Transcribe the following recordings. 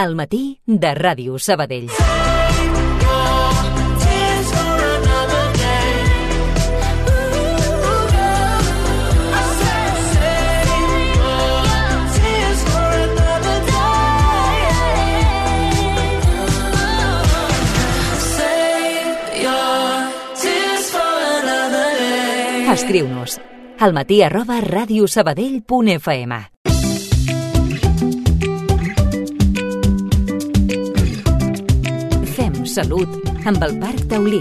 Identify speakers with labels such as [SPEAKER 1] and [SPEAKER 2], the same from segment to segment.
[SPEAKER 1] Al matí de Ràdio Sabadell. Escriu-nos almatí@radiosabadell.fm. Fem salut amb el Parc Taulí.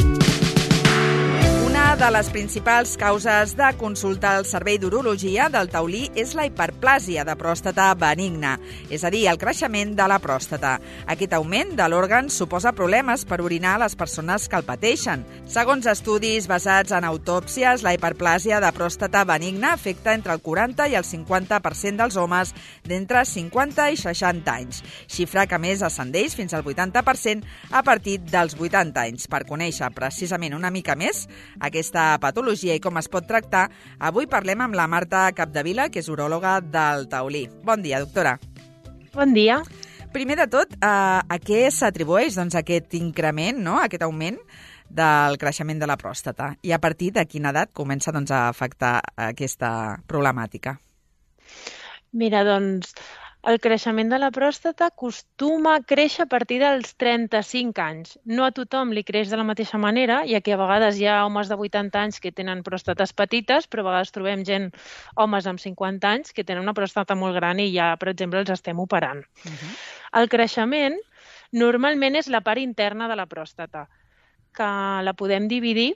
[SPEAKER 2] Una de les principals causes de consulta al Servei d'Urologia del Taulí és la hiperplàsia de pròstata benigna, és a dir, el creixement de la pròstata. Aquest augment de l'òrgan suposa problemes per orinar a les persones que el pateixen. Segons estudis basats en autòpsies, la hiperplàsia de pròstata benigna afecta entre el 40 i el 50% dels homes d'entre 50 i 60 anys, xifra que més ascendeix fins al 80% a partir dels 80 anys. Per conèixer precisament una mica més aquesta patologia i com es pot tractar, avui parlem amb la Marta Capdevila, que és uròloga del Taulí. Bon dia, doctora.
[SPEAKER 3] Bon dia.
[SPEAKER 2] Primer de tot, a què s'atribueix aquest increment, aquest augment del creixement de la pròstata? I a partir de quina edat comença a afectar aquesta problemàtica?
[SPEAKER 3] Mira, el creixement de la pròstata acostuma a créixer a partir dels 35 anys. No a tothom li creix de la mateixa manera, ja que a vegades hi ha homes de 80 anys que tenen pròstates petites, però a vegades trobem homes amb 50 anys que tenen una pròstata molt gran i ja, per exemple, els estem operant. El creixement normalment és la part interna de la pròstata, que la podem dividir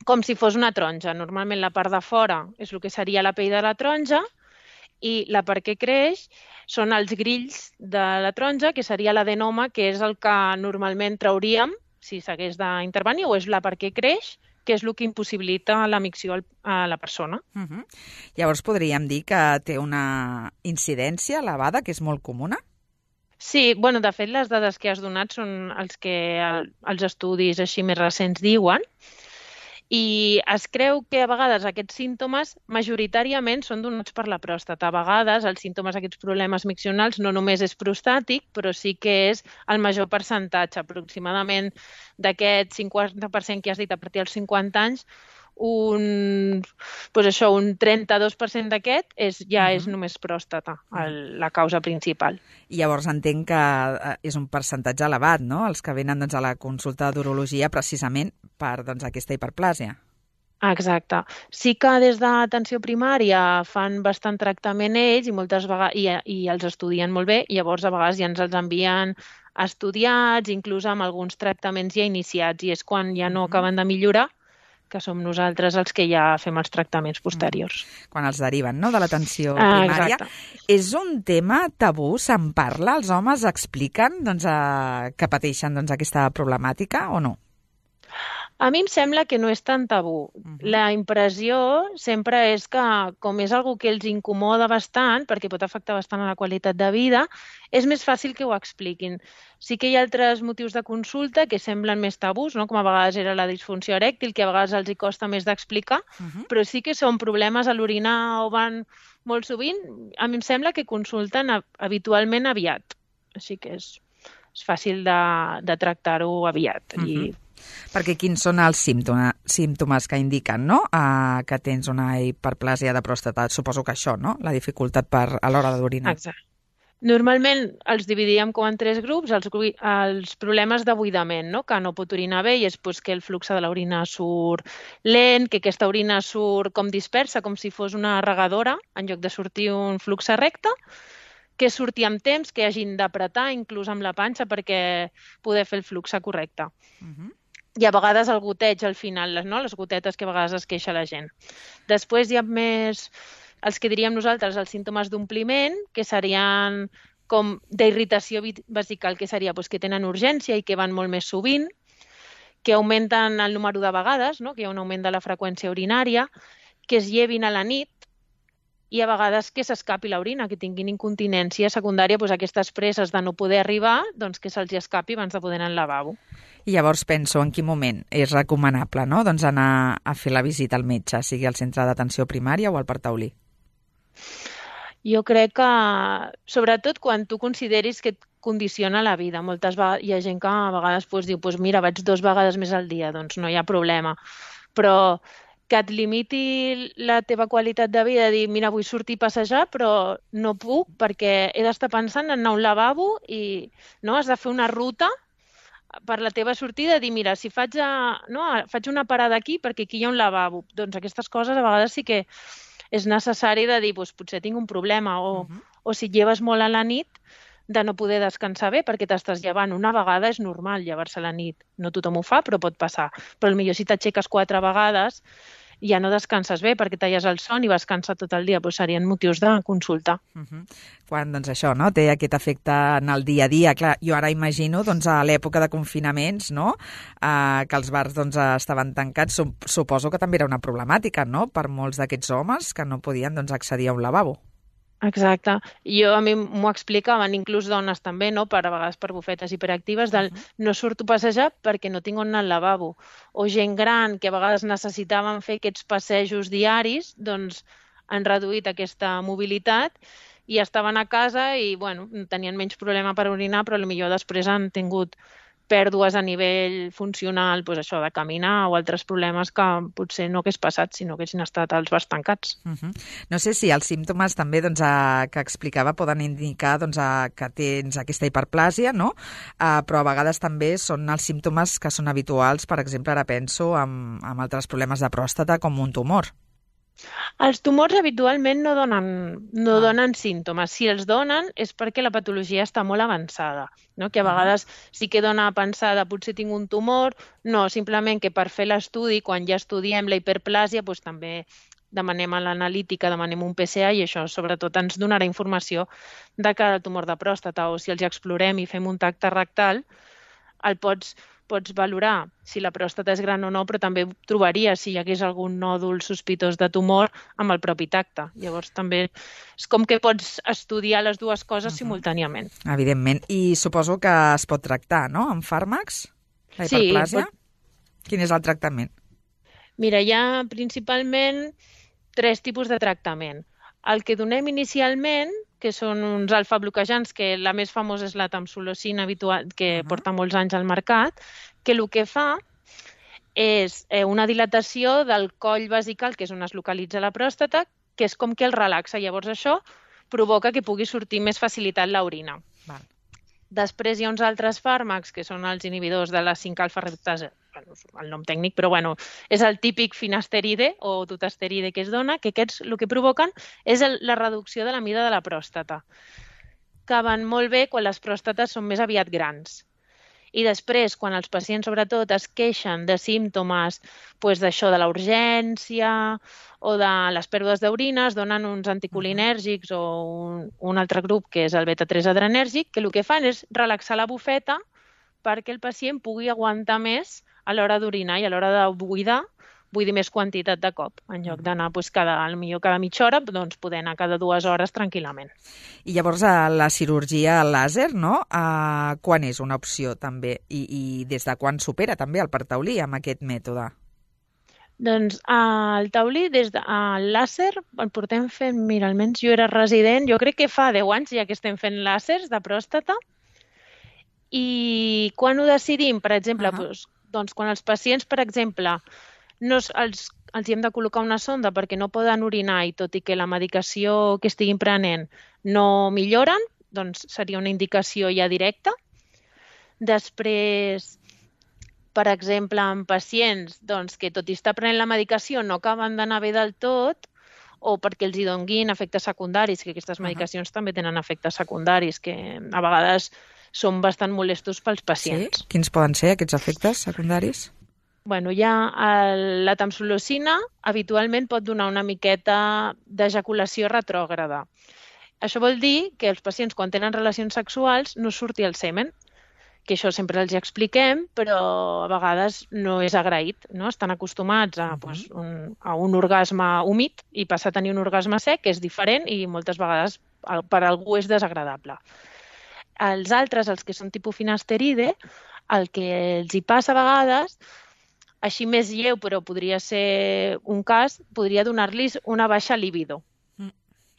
[SPEAKER 3] com si fos una taronja. Normalment la part de fora és el que seria la pell de la taronja, i la part que creix són els grills de la taronja, que seria l'adenoma, que és el que normalment trauríem si s'hagués d'intervenir, o és la part que creix, que és el que impossibilita la micció a la persona.
[SPEAKER 2] Llavors podríem dir que té una incidència elevada, que és molt comuna?
[SPEAKER 3] Sí, de fet les dades que has donat són els que els estudis així més recents diuen, i es creu que a vegades aquests símptomes majoritàriament són donats per la pròstata. A vegades els símptomes d'aquests problemes miccionals no només és prostàtic, però sí que és el major percentatge. Aproximadament d'aquest 50% que has dit a partir dels 50 anys, un 32% d'aquest ja és només pròstata, la causa principal.
[SPEAKER 2] I llavors entenc que és un percentatge elevat, no?, els que venen a la consulta d'urologia precisament per aquesta hiperplàsia.
[SPEAKER 3] Exacte. Sí que des d'atenció primària fan bastant tractament ells i moltes vegades i els estudien molt bé, i llavors a vegades ja ens els envien estudiats, inclús amb alguns tractaments ja iniciats, i és quan ja no acaben de millorar que som nosaltres els que ja fem els tractaments posteriors.
[SPEAKER 2] Quan els deriven, no?, de l'atenció primària.
[SPEAKER 3] Exacte.
[SPEAKER 2] És un tema tabú? Se'n parla? Els homes expliquen que pateixen aquesta problemàtica o no?
[SPEAKER 3] A mi em sembla que no és tan tabú. La impressió sempre és que, com és algo que els incomoda bastant, perquè pot afectar bastant a la qualitat de vida, és més fàcil que ho expliquin. Sí que hi ha altres motius de consulta que semblen més tabús, no?, com a vegades era la disfunció erèctil, que a vegades els hi costa més d'explicar, però sí que són problemes a l'orinar o van molt sovint. A mi em sembla que consulten habitualment aviat. Així que és fàcil de tractar-ho aviat.
[SPEAKER 2] Perquè quins són els símptomes que indiquen, no?, que tens una hiperplàsia de pròstata? Suposo que això, no?, la dificultat a l'hora d'orinar.
[SPEAKER 3] Exacte. Normalment els dividíem com en 3 grups, els problemes de buidament, no?, que no pot orinar bé, i és que el flux de l'orina surt lent, que aquesta orina surt com dispersa, com si fos una regadora, en lloc de sortir un flux recte, que surti amb temps, que hagin d'apretar, inclús amb la panxa, perquè poder fer el flux correcte. I a vegades el goteig al final, les gotetes que a vegades es queixa la gent. Després hi ha més els que diríem nosaltres els símptomes d'ompliment, que serien com d'irritació vesical, que seria que tenen urgència i que van molt més sovint, que augmenten el número de vegades, que hi ha un augment de la freqüència urinària, que es llevin a la nit, i a vegades que s'escapi l'orina, que tinguin incontinència secundària, aquestes presses de no poder arribar, que se'ls escapi abans de poder anar al lavabo.
[SPEAKER 2] I llavors penso en quin moment és recomanable, no?, anar a fer la visita al metge, sigui al centre d'atenció primària o al Parc Taulí.
[SPEAKER 3] Jo crec que, sobretot quan tu consideris que condiciona la vida. Hi ha gent que a vegades diu, mira, vaig 2 vegades més al dia, doncs no hi ha problema. Però que et limiti la teva qualitat de vida, dir, mira, vull sortir a passejar, però no puc perquè he d'estar pensant en anar a un lavabo i has de fer una ruta per la teva sortida, dir, mira, si faig una parada aquí perquè aquí hi ha un lavabo. Doncs aquestes coses a vegades sí que és necessari de dir, potser tinc un problema o si et lleves molt a la nit, de no poder descansar bé perquè t'estàs llevant. Una vegada és normal llevar-se a la nit. No tothom ho fa, però pot passar. Però potser si t'aixeques 4 vegades ja no descanses bé perquè talles el son i vas cansat tot el dia. Serien motius de consulta.
[SPEAKER 2] Quan això té aquest efecte en el dia a dia. Clar, jo ara imagino a l'època de confinaments que els bars estaven tancats. Suposo que també era una problemàtica per molts d'aquests homes que no podien accedir a un lavabo.
[SPEAKER 3] Exacte. A mi m'ho explicaven, inclús dones també, a vegades per bufetes hiperactives, del no surto a passejar perquè no tinc on anar al lavabo. O gent gran que a vegades necessitaven fer aquests passejos diaris, doncs han reduït aquesta mobilitat i estaven a casa i tenien menys problema per orinar, però potser després han tingut pèrdues a nivell funcional, això de caminar o altres problemes que potser no hagués passat si no haguessin estat els bars tancats.
[SPEAKER 2] No sé si els símptomes també que explicava poden indicar que tens aquesta hiperplàsia, però a vegades també són els símptomes que són habituals, per exemple, ara penso amb altres problemes de pròstata com un tumor.
[SPEAKER 3] Els tumors habitualment no donen símptomes. Si els donen és perquè la patologia està molt avançada, que a vegades sí que dona a pensar de potser tinc un tumor, no, simplement que per fer l'estudi, quan ja estudiem la hiperplàsia, també demanem a l'analítica, demanem un PSA i això sobretot ens donarà informació de cara al tumor de pròstata, o si els explorem i fem un tacte rectal, el pots valorar si la pròstata és gran o no, però també trobaries si hi hagués algun nòdul sospitós de tumor amb el propi tacte. Llavors també és com que pots estudiar les dues coses simultàniament.
[SPEAKER 2] Evidentment. I suposo que es pot tractar, amb fàrmacs? La hiperplàsia? Sí. Quin és el tractament?
[SPEAKER 3] Mira, hi ha principalment 3 tipus de tractament. El que donem inicialment, que són uns alfa-bloquejants, que la més famosa és la tamsulosina habitual, que porta molts anys al mercat, que el que fa és una dilatació del coll vesical, que és on es localitza la pròstata, que és com que el relaxa. Llavors això provoca que pugui sortir més facilitat l'orina. Després hi ha uns altres fàrmacs, que són els inhibidors de la 5-alfa-reductasa, el nom tècnic, però és el típic finasteride o dutasteride que es dona, que aquests el que provoquen és la reducció de la mida de la pròstata, que van molt bé quan les pròstates són més aviat grans. I després, quan els pacients sobretot es queixen de símptomes d'això de la urgència o de les pèrdues d'orina, es donen uns anticolinèrgics o un altre grup que és el beta-3 adrenèrgic, que el que fan és relaxar la bufeta perquè el pacient pugui aguantar més a l'hora d'orinar i a l'hora de buidar, vull dir més quantitat de cop. En lloc d'anar cada mitja hora, doncs poder anar cada 2 hores tranquil·lament.
[SPEAKER 2] I llavors la cirurgia làser, quan és una opció també? I des de quan s'opera també el per taulí amb aquest mètode?
[SPEAKER 3] Doncs el taulí, des del làser, el portem fent, mira, almenys jo era resident, jo crec que fa 10 anys ja que estem fent làsers de pròstata. I quan ho decidim, per exemple, doncs quan els pacients, per exemple, els hi hem de col·locar una sonda perquè no poden orinar i tot i que la medicació que estiguin prenent no milloren, doncs seria una indicació ja directa. Després, per exemple, en pacients que tot i estar prenent la medicació no acaben d'anar bé del tot o perquè els hi donguin efectes secundaris, que aquestes medicacions també tenen efectes secundaris que a vegades són bastant molestos pels pacients.
[SPEAKER 2] Sí? Quins poden ser aquests efectes secundaris?
[SPEAKER 3] La tamsulosina habitualment pot donar una miqueta d'ejaculació retrògrada. Això vol dir que els pacients quan tenen relacions sexuals no surti el semen, que això sempre els expliquem, però a vegades no és agraït. Estan acostumats a un orgasme humit i passar a tenir un orgasme sec, que és diferent i moltes vegades per a algú és desagradable. Els altres, els que són tipus finasteride, el que els hi passa a vegades, així més lleu, però podria ser un cas, podria donar-los una baixa libido.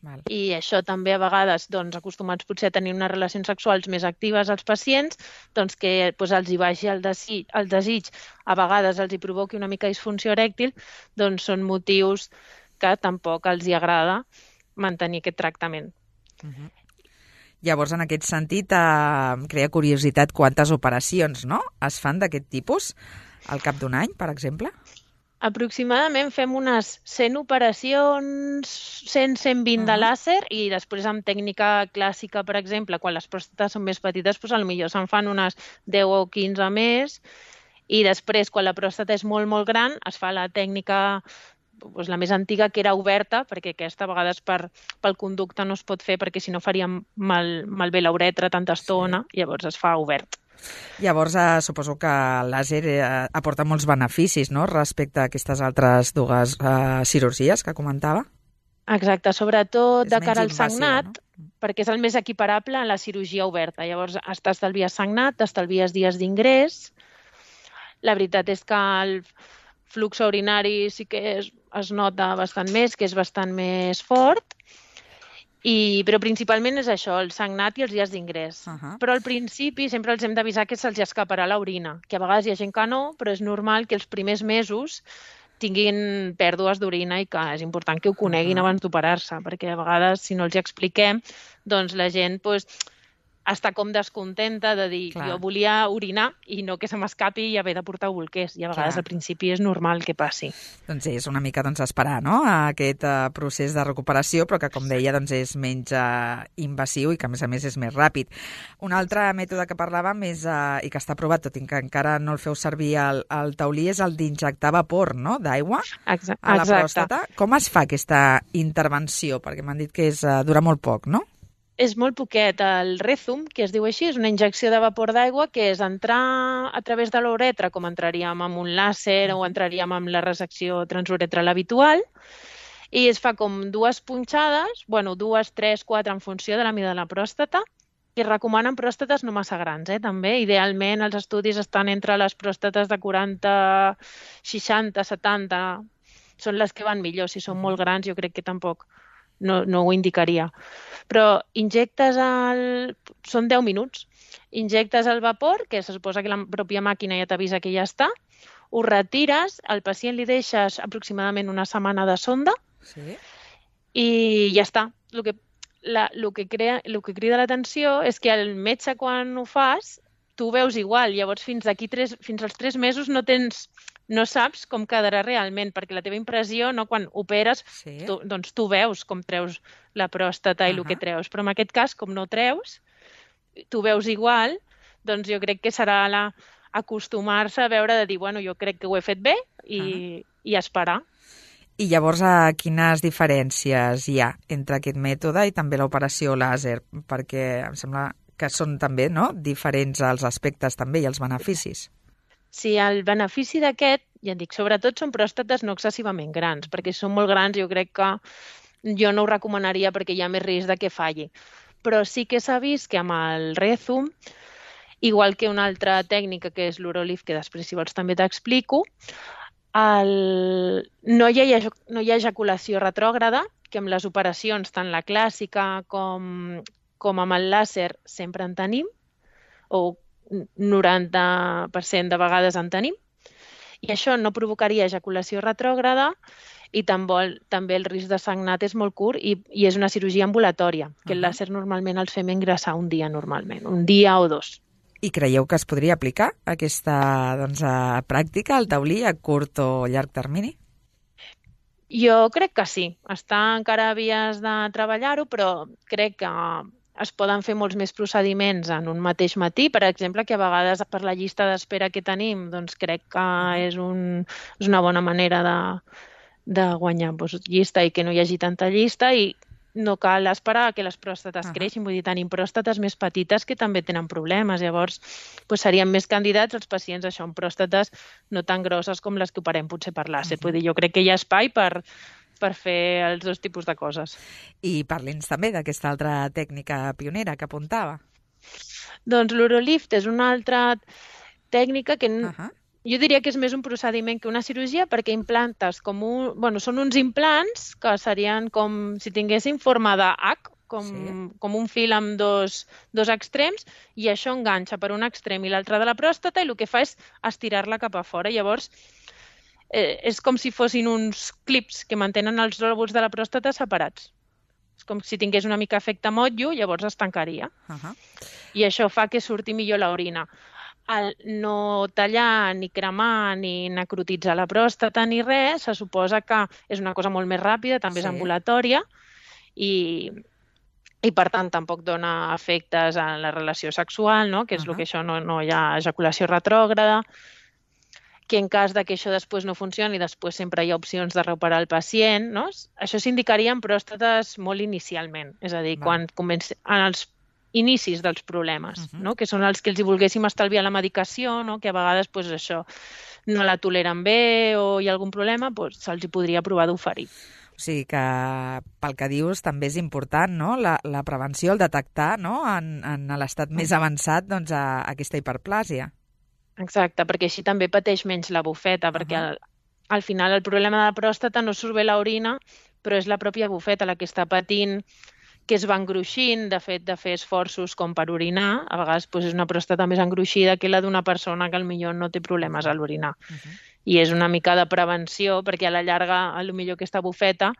[SPEAKER 2] Val.
[SPEAKER 3] I això també a vegades, acostumats potser a tenir unes relacions sexuals més actives als pacients, que els hi baixi el desig, a vegades els hi provoqui una mica disfunció erèctil, són motius que tampoc els hi agrada mantenir aquest tractament.
[SPEAKER 2] Llavors, en aquest sentit, crea curiositat quantes operacions, no?, es fan d'aquest tipus al cap d'un any, per exemple?
[SPEAKER 3] Aproximadament fem unes 100 operacions, 100-120 de làser i després amb tècnica clàssica, per exemple, quan les pròstates són més petites, potser se'n fan unes 10 o 15 més i després, quan la pròstata és molt, molt gran, es fa la tècnica la més antiga, que era oberta, perquè aquesta a vegades pel conducte no es pot fer perquè si no faríem malbé la uretra tanta estona, llavors es fa obert.
[SPEAKER 2] Llavors, suposo que el làser aporta molts beneficis, no?, respecte a aquestes altres dues cirurgies que comentava.
[SPEAKER 3] Exacte, sobretot de cara al
[SPEAKER 2] invasiu,
[SPEAKER 3] sagnat,
[SPEAKER 2] no?
[SPEAKER 3] perquè és el més equiparable a la cirurgia oberta. Llavors, t'estalvies sagnat, t'estalvies dies d'ingrés. La veritat és que el flux urinari sí que es nota bastant més, que és bastant més fort, però principalment és això, el sagnat i els dies d'ingrés. Però al principi sempre els hem d'avisar que se'ls escaparà l'orina, que a vegades hi ha gent que no, però és normal que els primers mesos tinguin pèrdues d'orina i que és important que ho coneguin abans d'operar-se, perquè a vegades, si no els hi expliquem, la gent està com descontenta de dir jo volia orinar i no que se m'escapi i haver de portar bolquers. I a vegades al principi és normal que passi.
[SPEAKER 2] Doncs és una mica esperar, no?, aquest procés de recuperació, però que, com deia, és menys invasiu i que, a més és més ràpid. Un altre mètode que parlàvem i que està aprovat, tot i que encara no el feu servir al taulí, és el d'injectar vapor, no?, d'aigua a la pròstata. Com es fa aquesta intervenció? Perquè m'han dit que dura molt poc, no?
[SPEAKER 3] És molt poquet. El Rezum, que es diu així, és una injecció de vapor d'aigua que és entrar a través de l'uretra, com entraríem amb un làser o entraríem amb la resecció transuretral habitual, i es fa com dues punxades, 2, 3, 4, en funció de la mida de la pròstata, i es recomanen pròstates no massa grans, també. Idealment, els estudis estan entre les pròstates de 40, 60, 70, són les que van millor. Si són molt grans, jo crec que tampoc no ho indicaria. Però són 10 minuts. Injectes el vapor, que se suposa que la pròpia màquina ja t'avisa que ja està, ho retires, al pacient li deixes aproximadament una setmana de sonda i ja està. El que crida l'atenció és que el metge, quan ho fas, tu ho veus igual. Llavors, fins als 3 mesos no saps com quedarà realment, perquè la teva impressió, quan operes, tu veus com treus la pròstata i el que treus. Però en aquest cas, com no treus, tu veus igual, doncs jo crec que serà acostumar-se a veure de dir, jo crec que ho he fet bé i esperar.
[SPEAKER 2] I llavors, quines diferències hi ha entre aquest mètode i també l'operació làser? Perquè em sembla que són també diferents els aspectes també i els beneficis.
[SPEAKER 3] Sí, el benefici d'aquest, ja et dic, sobretot són pròstates no excessivament grans, perquè si són molt grans jo crec que jo no ho recomanaria perquè hi ha més risc de que falli. Però sí que s'ha vist que amb el Rezum, igual que una altra tècnica que és l'Urolif, que després si vols també t'explico, no hi ha ejaculació retrògrada, que amb les operacions, tant la clàssica com amb el làser, sempre en tenim, o 90% de vegades en tenim, i això no provocaria ejaculació retrògrada i també el risc de sagnat és molt curt i és una cirurgia ambulatòria, que el làser normalment els fem ingressar un dia normalment, un dia o 2.
[SPEAKER 2] I creieu que es podria aplicar aquesta pràctica al taulí a curt o llarg termini?
[SPEAKER 3] Jo crec que sí. Està encara a vies de treballar-ho, però crec que es poden fer molts més procediments en un mateix matí. Per exemple, que a vegades per la llista d'espera que tenim, doncs crec que és una bona manera de guanyar llista i que no hi hagi tanta llista i no cal esperar que les pròstates creixin. Vull dir, tenim pròstates més petites que també tenen problemes. Llavors, serien més candidats els pacients amb pròstates no tan grosses com les que operem potser per làser. Vull dir, jo crec que hi ha espai per fer els dos tipus de coses.
[SPEAKER 2] I parli'ns també d'aquesta altra tècnica pionera que apuntava.
[SPEAKER 3] Doncs l'Urolift és una altra tècnica que jo diria que és més un procediment que una cirurgia perquè implantes són uns implants que serien com si tinguessin forma de H, com un fil amb dos extrems, i això enganxa per un extrem i l'altre de la pròstata i el que fa és estirar-la cap a fora. Llavors, és com si fossin uns clips que mantenen els lòbuls de la pròstata separats. És com si tingués una mica efecte motllo, llavors es tancaria. I això fa que surti millor l'orina. Al no tallar, ni cremar, ni necrotitzar la pròstata, ni res, se suposa que és una cosa molt més ràpida, també és ambulatòria, i per tant tampoc dona efectes en la relació sexual, no? Que és el que això no hi ha ejaculació retrògrada, que en cas que això després no funcioni, després sempre hi ha opcions de reoperar el pacient, no? Això s'indicaria en pròstates molt inicialment, és a dir, quan en els inicis dels problemes, no? Que són els que els hi volguéssim estalviar la medicació, no? Que a vegades això no la toleren bé o hi ha algun problema, se'ls hi podria provar d'oferir.
[SPEAKER 2] O sigui que, pel que dius, també és important, no? La prevenció, el detectar, no? En l'estat més avançat, doncs, aquesta hiperplàsia.
[SPEAKER 3] Exacte, perquè així també pateix menys la bufeta, perquè al final el problema de la pròstata no surt bé l'orina, però és la pròpia bufeta la que està patint, que es va engruixint, de fet, de fer esforços com per orinar. A vegades és una pròstata més engruixida que la d'una persona que potser no té problemes a l'orinar. I és una mica de prevenció, perquè a la llarga, potser aquesta bufeta,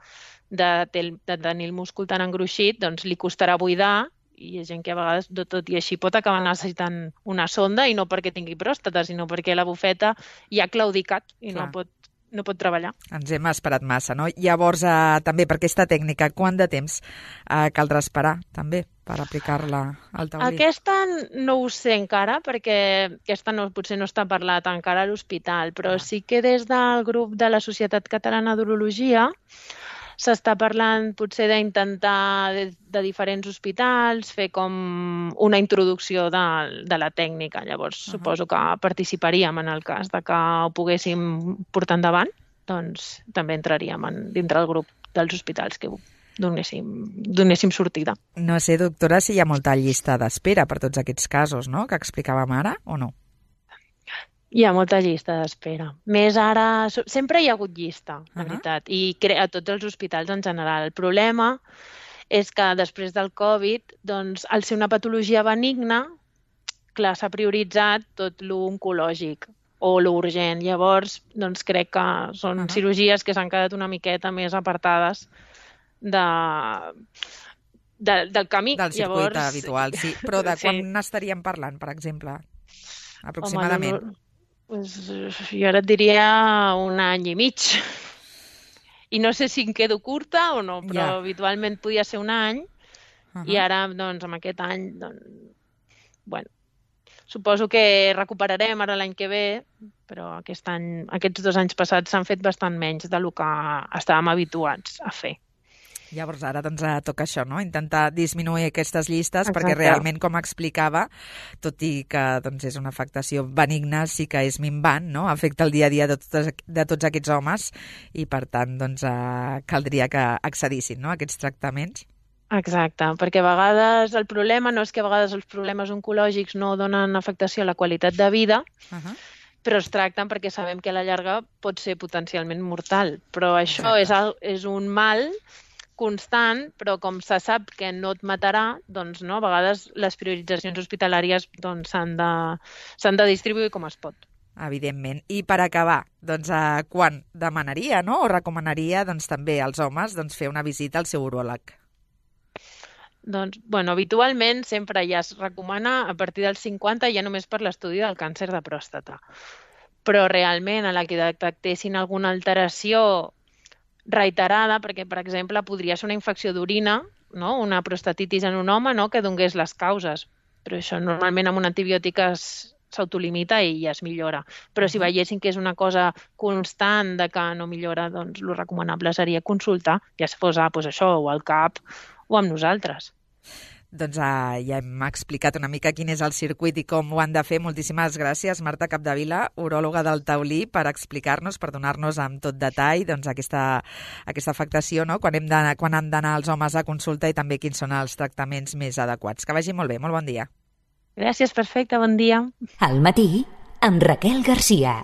[SPEAKER 3] de tenir el múscul tan engruixit, doncs li costarà buidar, i hi ha gent que a vegades, tot i així, pot acabar necessitant una sonda, i no perquè tingui pròstata, sinó perquè la bufeta ja ha claudicat i no pot treballar.
[SPEAKER 2] Ens hem esperat massa, no? Llavors, també per aquesta tècnica, quant de temps caldrà esperar, també, per aplicar-la al taulí?
[SPEAKER 3] Aquesta no ho sé encara, perquè aquesta potser no està parlat encara a l'hospital, però sí que des del grup de la Societat Catalana d'Urologia s'està parlant potser d'intentar de diferents hospitals fer com una introducció de la tècnica. Llavors suposo que participaríem en el cas de que ho poguéssim portar endavant, doncs també entraríem dintre el grup dels hospitals que donéssim sortida.
[SPEAKER 2] No sé, doctora, si hi ha molta llista d'espera per tots aquests casos, no?, que explicàvem ara, o no?
[SPEAKER 3] Hi ha molta llista d'espera. Més ara... Sempre hi ha hagut llista, la veritat, i a tots els hospitals en general. El problema és que després del Covid, doncs, al ser una patologia benigna, clar, s'ha prioritzat tot l'oncològic o l'urgent. Llavors, doncs, crec que són cirurgies que s'han quedat una miqueta més apartades del camí.
[SPEAKER 2] Del circuit habitual, sí. Però de quan n'estaríem parlant, per exemple, aproximadament?
[SPEAKER 3] Jo ara et diria 1 any i mig. I no sé si em quedo curta o no, però habitualment podia ser 1 any, i ara, doncs, amb aquest any, suposo que recuperarem ara l'any que ve, però aquests 2 anys passats s'han fet bastant menys del que estàvem habituats a fer.
[SPEAKER 2] Llavors ara doncs toca això, no? Intentar disminuir aquestes llistes. Exacte. Perquè realment, com explicava, tot i que doncs, és una afectació benigna, sí que és minvant, no? Afecta el dia a dia de tots aquests homes i per tant doncs, caldria que accedissin, no?, a aquests tractaments.
[SPEAKER 3] Exacte, perquè a vegades el problema no és que a vegades els problemes oncològics no donen afectació a la qualitat de vida, però es tracten perquè sabem que a la llarga pot ser potencialment mortal. Però això és un mal constant, però com se sap que no et matarà, doncs no, a vegades les prioritzacions hospitalàries doncs, s'han de distribuir com es pot.
[SPEAKER 2] Evidentment. I per acabar, doncs, quan demanaria, no?, o recomanaria doncs, també als homes doncs, fer una visita al seu uròleg?
[SPEAKER 3] Doncs, habitualment sempre ja es recomana a partir dels 50 ja només per l'estudi del càncer de pròstata. Però realment a la que detectessin alguna alteració reiterada, perquè, per exemple, podria ser una infecció d'orina, no?, una prostatitis en un home, no?, que donés les causes. Però això normalment amb un antibiòtic s'autolimita i ja es millora. Però si veiessin que és una cosa constant de que no millora, doncs el recomanable seria consultar, ja fos això, o al CAP, o amb nosaltres.
[SPEAKER 2] Doncs ja hem explicat una mica quin és el circuit i com ho han de fer. Moltíssimes gràcies, Marta Capdevila, uròloga del Taulí, per explicar-nos, per donar-nos amb tot detall doncs, aquesta afectació, no?, quan han d'anar els homes a consulta i també quins són els tractaments més adequats. Que vagi molt bé, molt bon dia.
[SPEAKER 3] Gràcies, perfecte, bon dia.
[SPEAKER 1] Al matí, amb Raquel Garcia.